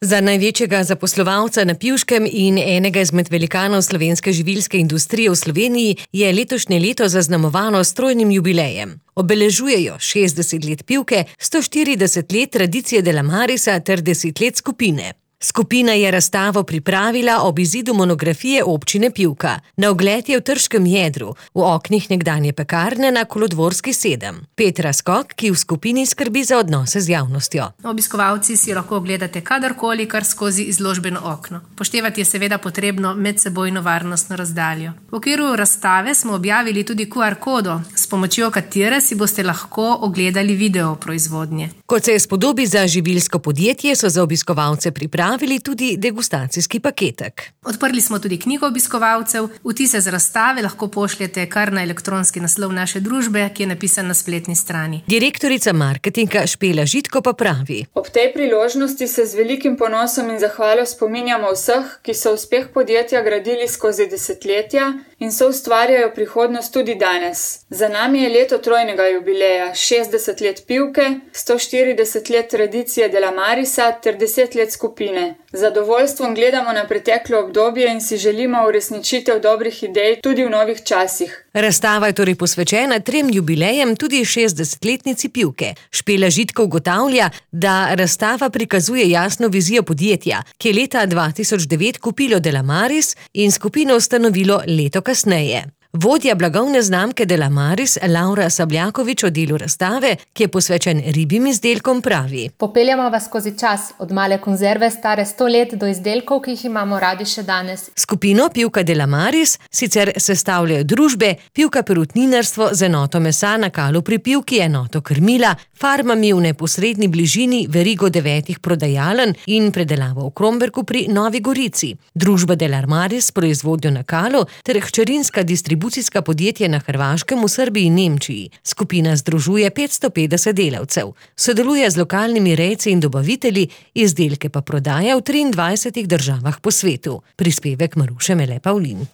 Za največjega zaposlovalca na Pivškem in enega izmed velikanov slovenske živilske industrije v Sloveniji je letošnje leto zaznamovano s trojnim jubilejem. Obeležujejo 60 let Pivke, 140 let tradicije Delamarisa ter 10 let skupine. Skupina je razstavo pripravila ob izidu monografije občine Pivka. Na ogled je v Trškem jedru, v oknih nekdanje pekarne na Kolodvorski 7. Petra Skok, ki v skupini skrbi za odnose z javnostjo. Obiskovalci si lahko ogledate kadarkoli, kar skozi izložbeno okno. Poštevati je seveda potrebno medsebojno varnostno razdaljo. V okviru razstave smo objavili tudi QR kodo, s pomočjo katere si boste lahko ogledali video proizvodnje. Kot se spodobi za živilsko podjetje, so za obiskovalce pripravili tudi degustacijski paketek. Odprli smo tudi knjigo obiskovalcev. Vtise z razstave lahko pošljete kar na elektronski naslov naše družbe, ki je napisan na spletni strani. Direktorica marketinga Špela Žitko pa pravi: Ob tej priložnosti se z velikim ponosom in zahvalo spominjamo vseh, ki so uspeh podjetja gradili skozi desetletja in so ustvarjajo prihodnost tudi danes. Za nami je leto trojnega jubileja, 60 let Pivke, 140 let tradicije Delamarisa ter 10 let skupine. Z zadovoljstvom gledamo na preteklo obdobje in si želimo uresničitev dobrih idej tudi v novih časih. Razstava je torej posvečena 3 jubilejem, tudi 60-letnici Pivke. Špela Žitko ugotavlja, da razstava prikazuje jasno vizijo podjetja, ki je leta 2009 kupilo Delamaris in skupino ustanovilo leto kasneje. Vodja blagovne znamke Delamaris, Laura Sabljakovič, o delu razstave, ki je posvečen ribjim izdelkom, pravi: Popeljamo vas skozi čas, od male konzerve stare 100 let do izdelkov, ki jih imamo radi še danes. Skupino Pivka Delamaris sicer sestavljajo družbe Pivka Perutninarstvo z enoto mesa na Kalu pri Pivki, enoto krmila, farmami v neposredni bližini, verigo 9 prodajaln in predelavo v Kromberku pri Novi Gorici. Družba Delamaris proizvodnjo na Kalu ter hčerinska distribucijska podjetja na Hrvaškem, v Srbiji in Nemčiji. Skupina združuje 550 delavcev. Sodeluje z lokalnimi rejci in dobavitelji, izdelke pa prodaja v 23 državah po svetu. Prispevek Maruše Mele Pavlin.